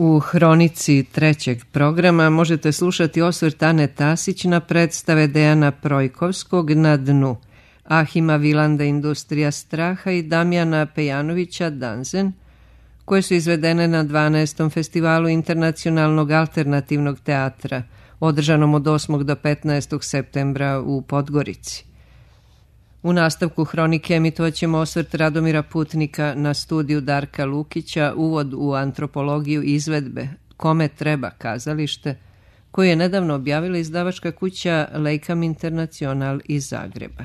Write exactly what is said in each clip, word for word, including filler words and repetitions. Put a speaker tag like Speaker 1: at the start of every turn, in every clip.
Speaker 1: U hronici trećeg programa možete slušati osvrt Ane Tasić na predstave Dejana Projkovskog Na dnu, Ahima Vilanda Industrija straha i Damjana Pejanovića Danzen, koje su izvedene na dvanaestom festivalu internacionalnog alternativnog teatra, održanom od osmog do petnaestog septembra u Podgorici. U nastavku hronike emitovat ćemo osvrt Radomira Putnika na studiju Darka Lukića, uvod u antropologiju izvedbe Kome treba kazalište, koju je nedavno objavila izdavačka kuća Lejkam Internacional iz Zagreba.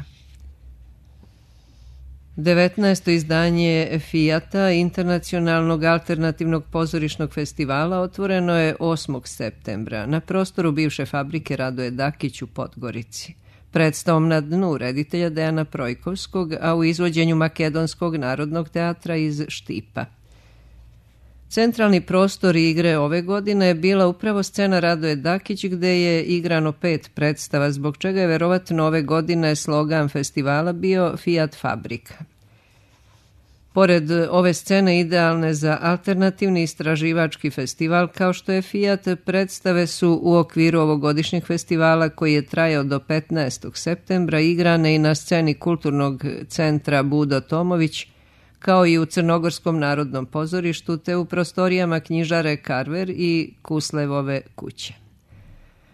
Speaker 1: devetnaesto izdanje Fijata, internacionalnog alternativnog pozorišnog festivala, otvoreno je osmog septembra na prostoru bivše fabrike Radoje Dakić u Podgorici, predstavom Na dnu reditelja Dejana Projkovskog, a u izvođenju Makedonskog narodnog teatra iz Štipa. Centralni prostor igre ove godine je bila upravo scena Radoje Dakić, gde je igrano pet predstava, zbog čega je verovatno ove godine slogan festivala bio Fijat fabrika. Pored ove scene idealne za alternativni istraživački festival kao što je Fijat, predstave su u okviru ovogodišnjeg festivala koji je trajao do petnaestog septembra igrane i na sceni Kulturnog centra Budo Tomović, kao i u Crnogorskom narodnom pozorištu, te u prostorijama knjižare Karver i Kuslevove kuće.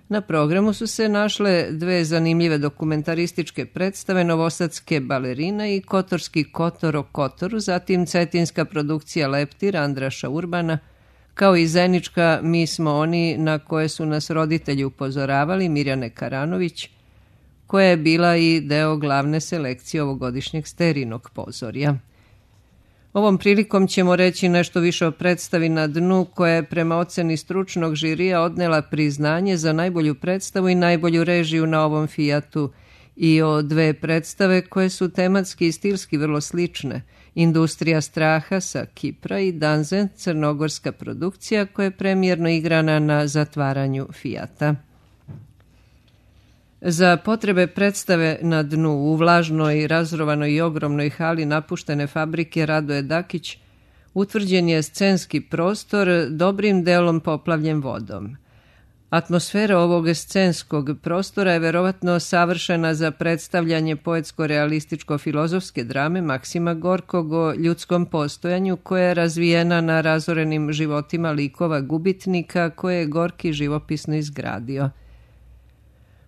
Speaker 1: Na programu su se našle dve zanimljive dokumentarističke predstave Novosadske balerine i Kotorski Kotor o Kotoru, zatim cetinska produkcija Leptir Andraša Urbana, kao i zenička Mi smo oni, na koje su nas roditelji upozoravali, Mirjane Karanović, koja je bila i deo glavne selekcije ovogodišnjeg Sterinog pozorja. Ovom prilikom ćemo reći nešto više o predstavi Na dnu, koja je prema oceni stručnog žirija odnela priznanje za najbolju predstavu i najbolju režiju na ovom Fijatu, i o dve predstave koje su tematski i stilski vrlo slične, Industrija straha sa Kipra i Danzen, crnogorska produkcija koja je premijerno igrana na zatvaranju Fijata. Za potrebe predstave Na dnu u vlažnoj, razrovanoj i ogromnoj hali napuštene fabrike Radoje Dakić utvrđen je scenski prostor dobrim delom poplavljen vodom. Atmosfera ovog scenskog prostora je verovatno savršena za predstavljanje poetsko-realističko-filozofske drame Maksima Gorkog o ljudskom postojanju, koja je razvijena na razorenim životima likova gubitnika koje je Gorki živopisno izgradio.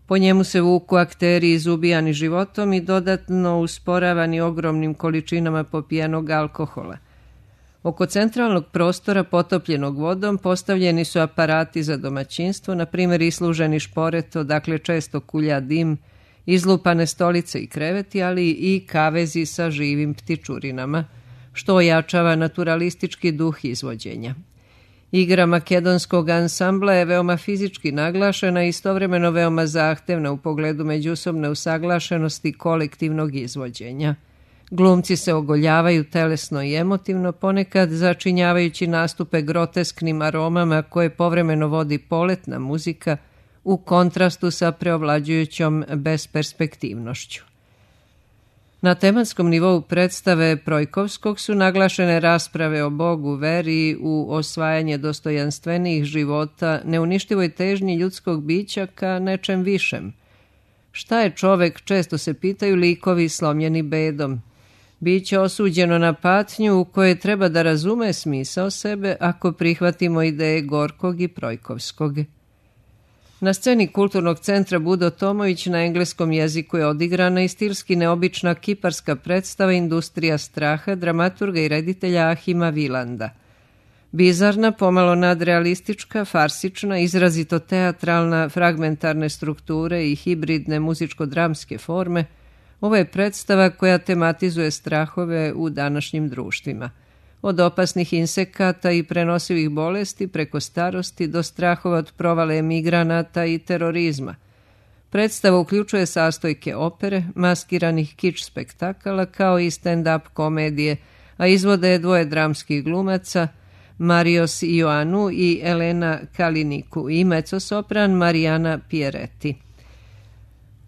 Speaker 1: Po njemu se vuku akteri izubijani životom i dodatno usporavani ogromnim količinama popijenog alkohola. Oko centralnog prostora potopljenog vodom postavljeni su aparati za domaćinstvo, na primjer isluženi šporet, odakle često kulja dim, izlupane stolice i kreveti, ali i kavezi sa živim ptičurinama, što ojačava naturalistički duh izvođenja. Igra makedonskog ansambla je veoma fizički naglašena i istovremeno veoma zahtevna u pogledu međusobne usaglašenosti kolektivnog izvođenja. Glumci se ogoljavaju telesno i emotivno, ponekad začinjavajući nastupe grotesknim aromama koje povremeno vodi poletna muzika u kontrastu sa preovlađujućom besperspektivnošću. Na tematskom nivou predstave Projkovskog su naglašene rasprave o Bogu, veri, u osvajanje dostojanstvenijih života, neuništivoj težnji ljudskog bića ka nečem višem. Šta je čovek, često se pitaju likovi slomljeni bedom. Biće osuđeno na patnju u kojoj treba da razume smisao sebe ako prihvatimo ideje Gorkog i Projkovskog. Na sceni Kulturnog centra Budo Tomović na engleskom jeziku je odigrana i stilski neobična kiparska predstava Industrija straha dramaturga i reditelja Ahima Vilanda. Bizarna, pomalo nadrealistička, farsična, izrazito teatralna, fragmentarne strukture i hibridne muzičko-dramske forme, ovo je predstava koja tematizuje strahove u današnjim društvima. Od opasnih insekata i prenosivih bolesti preko starosti do strahova od provale emigranata i terorizma. Predstava uključuje sastojke opere, maskiranih kič spektakala kao i stand-up komedije, a izvode je dvoje dramskih glumaca, Marios Ioanu i Elena Kaliniku i mecosopran Marijana Pieretti.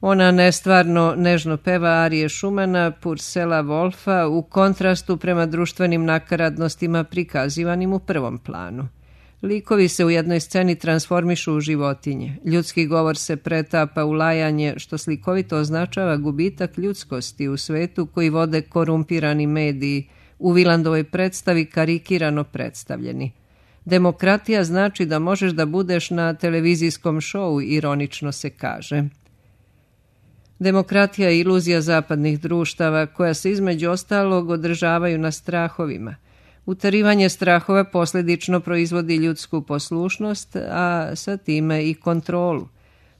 Speaker 1: Ona nestvarno nežno peva arije Šumana, Purcella Wolfa u kontrastu prema društvenim nakaradnostima prikazivanim u prvom planu. Likovi se u jednoj sceni transformišu u životinje. Ljudski govor se pretapa u lajanje, što slikovito označava gubitak ljudskosti u svetu koji vode korumpirani mediji, u Vilandovoj predstavi karikirano predstavljeni. Demokratija znači da možeš da budeš na televizijskom šovu, ironično se kaže. Demokratija je iluzija zapadnih društava koja se između ostalog održavaju na strahovima. Utarivanje strahova posljedično proizvodi ljudsku poslušnost, a sa time i kontrolu.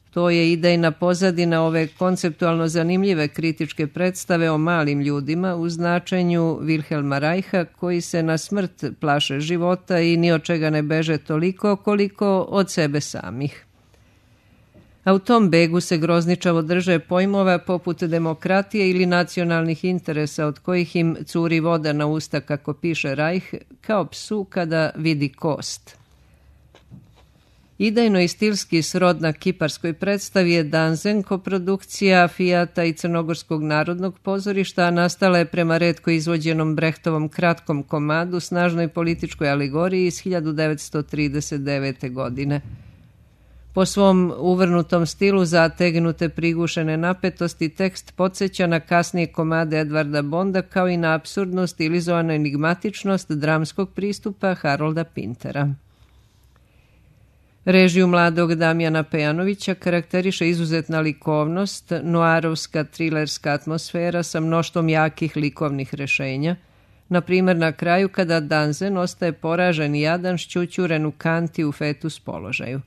Speaker 1: To je idejna pozadina ove konceptualno zanimljive kritičke predstave o malim ljudima u značenju Wilhelma Reicha, koji se na smrt plaše života i ni od čega ne beže toliko koliko od sebe samih. A u tom begu se grozničavo drže pojmova poput demokratije ili nacionalnih interesa od kojih im curi voda na usta, kako piše Reich, kao psu kada vidi kost. Idejno i stilski srodna kiparskoj predstavi je Danzen, koprodukcija Fijata i Crnogorskog narodnog pozorišta, a nastala je prema retko izvođenom Brehtovom kratkom komadu, snažnoj političkoj alegoriji iz hiljadu devetsto trideset devete. godine. Po svom uvrnutom stilu zategnute prigušene napetosti tekst podsjeća na kasnije komade Edvarda Bonda, kao i na apsurdnu stilizovanu enigmatičnost dramskog pristupa Harolda Pintera. Režiju mladog Damjana Pejanovića karakteriše izuzetna likovnost, noarovska trilerska atmosfera sa mnoštvom jakih likovnih rešenja. Na primjer, na kraju kada Danzen ostaje poražen i jadan, šćućuren u kanti u fetus položaju.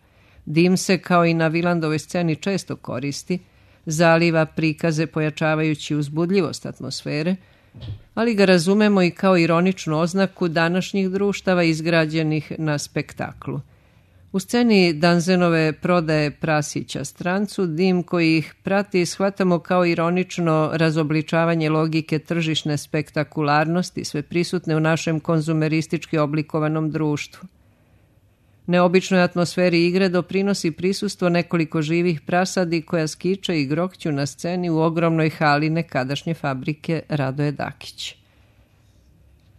Speaker 1: Dim se, kao i na Vilandovoj sceni, često koristi, zaliva prikaze pojačavajući uzbudljivost atmosfere, ali ga razumemo i kao ironičnu oznaku današnjih društava izgrađenih na spektaklu. U sceni Danzenove prodaje prasića strancu, dim koji ih prati shvatamo kao ironično razobličavanje logike tržišne spektakularnosti, sve prisutne u našem konzumeristički oblikovanom društvu. Neobičnoj atmosferi igre doprinosi prisustvo nekoliko živih prasadi koja skiče i grokću na sceni u ogromnoj hali nekadašnje fabrike Radoje Dakić.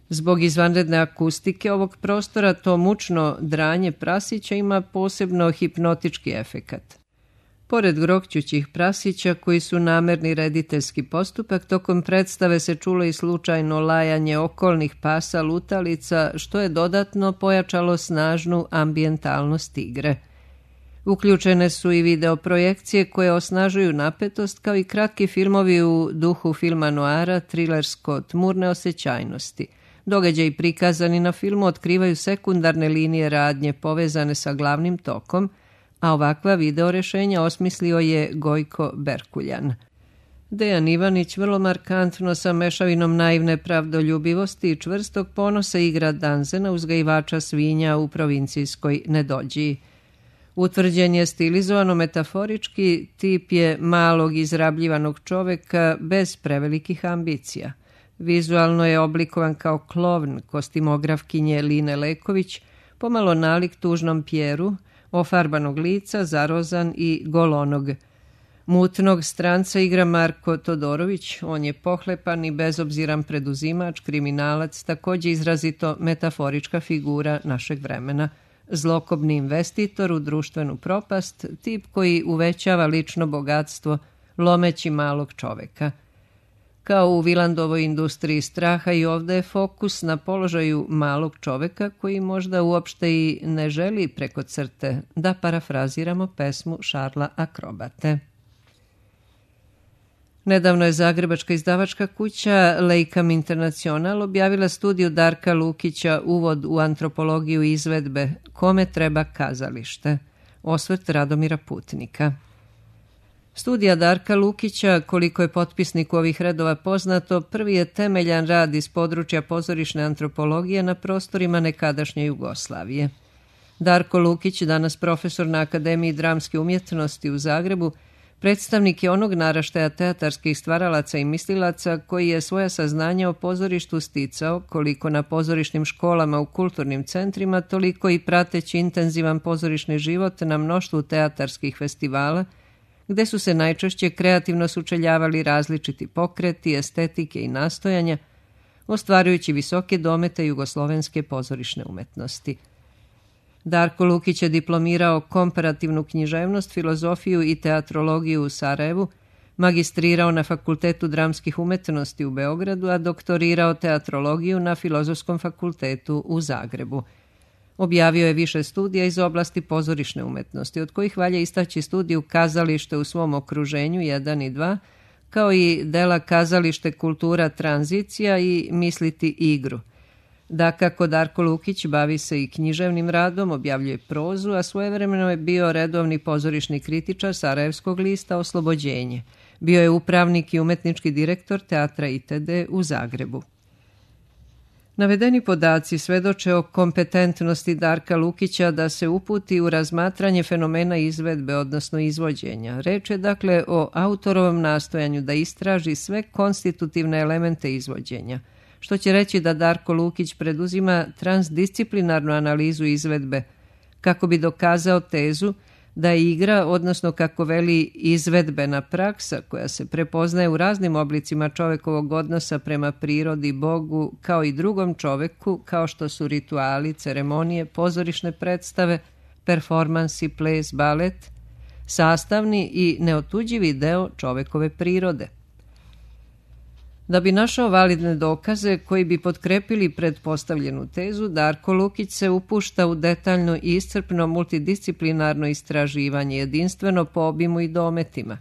Speaker 1: Zbog izvanredne akustike ovog prostora, to mučno dranje prasića ima posebno hipnotički efekat. Pored grokćućih prasića, koji su namerni rediteljski postupak, tokom predstave se čulo i slučajno lajanje okolnih pasa lutalica, što je dodatno pojačalo snažnu ambijentalnost igre. Uključene su i videoprojekcije koje osnažuju napetost, kao i kratki filmovi u duhu filma noara, trilersko-tmurne osjećajnosti. Događaji prikazani na filmu otkrivaju sekundarne linije radnje povezane sa glavnim tokom, a ovakva video rešenja osmislio je Gojko Berkuljan. Dejan Ivanić vrlo markantno sa mešavinom naivne pravdoljubivosti i čvrstog ponosa igra Danzena, uzgajivača svinja u provincijskoj Nedođiji. Utvrđen je stilizovano metaforički, tip je malog izrabljivanog čoveka bez prevelikih ambicija. Vizualno je oblikovan kao klovn kostimografkinje Line Leković, pomalo nalik tužnom Pjeru, ofarbanog lica, zarozan i golonog. Mutnog stranca igra Marko Todorović, on je pohlepan i bezobziran preduzimač, kriminalac, također izrazito metaforička figura našeg vremena. Zlokobni investitor u društvenu propast, tip koji uvećava lično bogatstvo, lomeći malog čoveka. Kao u Vilandovoj industriji straha, i ovdje je fokus na položaju malog čoveka koji možda uopšte i ne želi preko crte, da parafraziramo pesmu Šarla Akrobate. Nedavno je zagrebačka izdavačka kuća Leikam International objavila studiju Darka Lukića Uvod u antropologiju izvedbe Kome treba kazalište? Osvrt Radomira Putnika. Studija Darka Lukića, koliko je potpisniku ovih redova poznato, prvi je temeljan rad iz područja pozorišne antropologije na prostorima nekadašnje Jugoslavije. Darko Lukić, danas profesor na Akademiji dramske umjetnosti u Zagrebu, predstavnik je onog naraštaja teatarskih stvaralaca i mislilaca koji je svoja saznanja o pozorištu sticao, koliko na pozorišnim školama u kulturnim centrima, toliko i prateći intenzivan pozorišni život na mnoštvu teatarskih festivala, gde su se najčešće kreativno sučeljavali različiti pokreti, estetike i nastojanja, ostvarujući visoke domete jugoslovenske pozorišne umetnosti. Darko Lukić je diplomirao komparativnu književnost, filozofiju i teatrologiju u Sarajevu, magistrirao na Fakultetu dramskih umetnosti u Beogradu, a doktorirao teatrologiju na Filozofskom fakultetu u Zagrebu. Objavio je više studija iz oblasti pozorišne umetnosti, od kojih valja istaći studiju Kazalište u svom okruženju jedan i dva, kao i dela Kazalište, kultura, tranzicija i Misliti igru. Dakako, Darko Lukić bavi se i književnim radom, objavljuje prozu, a svojevremeno je bio redovni pozorišni kritičar Sarajevskog lista Oslobođenje. Bio je upravnik i umetnički direktor teatra itd. U Zagrebu. Navedeni podaci svedoče o kompetentnosti Darka Lukića da se uputi u razmatranje fenomena izvedbe, odnosno izvođenja. Reč je dakle o autorovom nastojanju da istraži sve konstitutivne elemente izvođenja, što će reći da Darko Lukić preduzima transdisciplinarnu analizu izvedbe kako bi dokazao tezu da je igra, odnosno kako veli izvedbena praksa koja se prepoznaje u raznim oblicima čovekovog odnosa prema prirodi, Bogu, kao i drugom čoveku, kao što su rituali, ceremonije, pozorišne predstave, performansi, ples, balet, sastavni i neotuđivi deo čovekove prirode. Da bi našao validne dokaze koji bi potkrepili pretpostavljenu tezu, Darko Lukić se upušta u detaljno i iscrpno multidisciplinarno istraživanje, jedinstveno po obimu i dometima.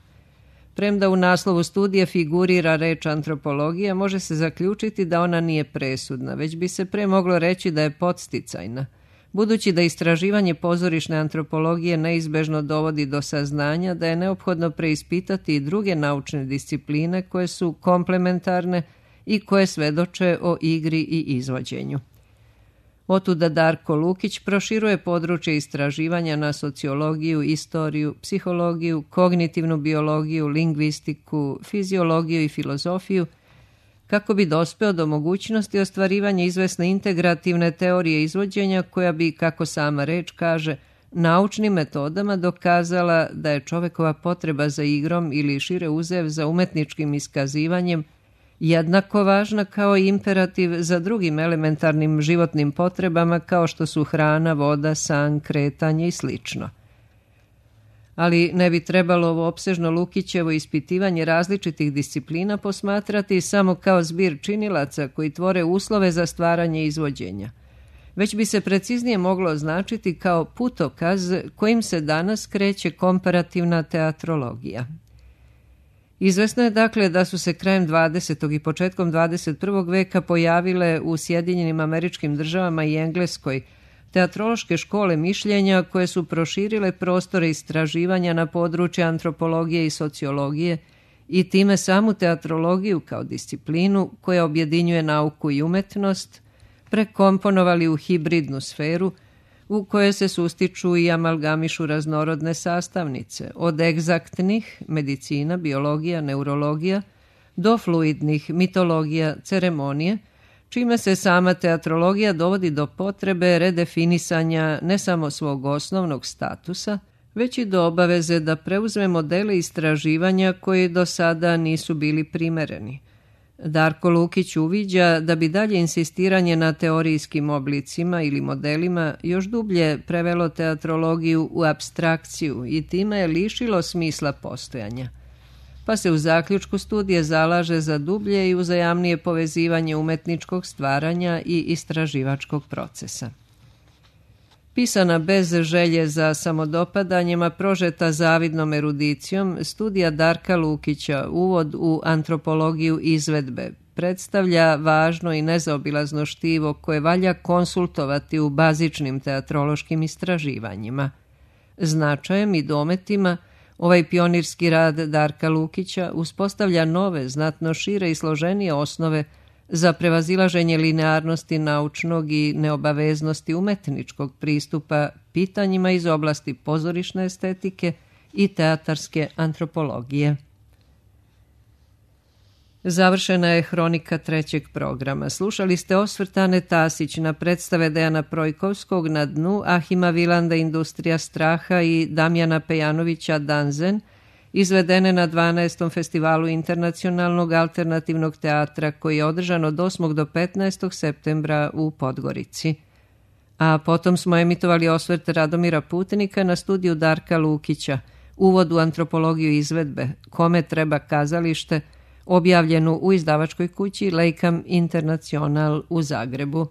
Speaker 1: Premda u naslovu studije figurira reč antropologija, može se zaključiti da ona nije presudna, već bi se pre moglo reći da je podsticajna, budući da istraživanje pozorišne antropologije neizbežno dovodi do saznanja da je neophodno preispitati i druge naučne discipline koje su komplementarne i koje svedoče o igri i izvođenju. Otuda Darko Lukić proširuje područje istraživanja na sociologiju, istoriju, psihologiju, kognitivnu biologiju, lingvistiku, fiziologiju i filozofiju, kako bi dospeo do mogućnosti ostvarivanja izvesne integrativne teorije izvođenja koja bi, kako sama reč kaže, naučnim metodama dokazala da je čovekova potreba za igrom ili šire uzev za umetničkim iskazivanjem jednako važna kao i imperativ za drugim elementarnim životnim potrebama kao što su hrana, voda, san, kretanje i slično. Ali ne bi trebalo ovo opsežno Lukićevo ispitivanje različitih disciplina posmatrati samo kao zbir činilaca koji tvore uslove za stvaranje izvođenja, već bi se preciznije moglo označiti kao putokaz kojim se danas kreće komparativna teatrologija. Izvesno je dakle da su se krajem dvadesetog i početkom dvadeset prvog veka pojavile u Sjedinjenim Američkim Državama i Engleskoj teatrološke škole mišljenja koje su proširile prostore istraživanja na područje antropologije i sociologije i time samu teatrologiju kao disciplinu koja objedinjuje nauku i umetnost, prekomponovali u hibridnu sferu u kojoj se sustiču i amalgamišu raznorodne sastavnice, od egzaktnih, medicina, biologija, neurologija, do fluidnih, mitologija, ceremonije, čime se sama teatrologija dovodi do potrebe redefinisanja ne samo svog osnovnog statusa, već i do obaveze da preuzme modele istraživanja koji do sada nisu bili primereni. Darko Lukić uviđa da bi dalje insistiranje na teorijskim oblicima ili modelima još dublje prevelo teatrologiju u apstrakciju i time je lišilo smisla postojanja, pa se u zaključku studije zalaže za dublje i uzajamnije povezivanje umetničkog stvaranja i istraživačkog procesa. Pisana bez želje za samodopadanjem, a prožeta zavidnom erudicijom, studija Darka Lukića Uvod u antropologiju izvedbe predstavlja važno i nezaobilazno štivo koje valja konsultovati u bazičnim teatrološkim istraživanjima. Značajem i dometima ovaj pionirski rad Darka Lukića uspostavlja nove, znatno šire i složenije osnove za prevazilaženje linearnosti naučnog i neobaveznosti umetničkog pristupa pitanjima iz oblasti pozorišne estetike i teatarske antropologije. Završena je hronika trećeg programa. Slušali ste osvrt Ane Tasić na predstave Dejana Projkovskog Na dnu, Ahima Vilanda Industrija straha i Damjana Pejanovića Danzen, izvedene na dvanaestom festivalu internacionalnog alternativnog teatra koji je održan od osmog do petnaestog septembra u Podgorici. A potom smo emitovali osvrt Radomira Putnika na studiju Darka Lukića, uvod u antropologiju izvedbe, Kome treba kazalište, objavljenu u izdavačkoj kući Lejkam Internacional u Zagrebu.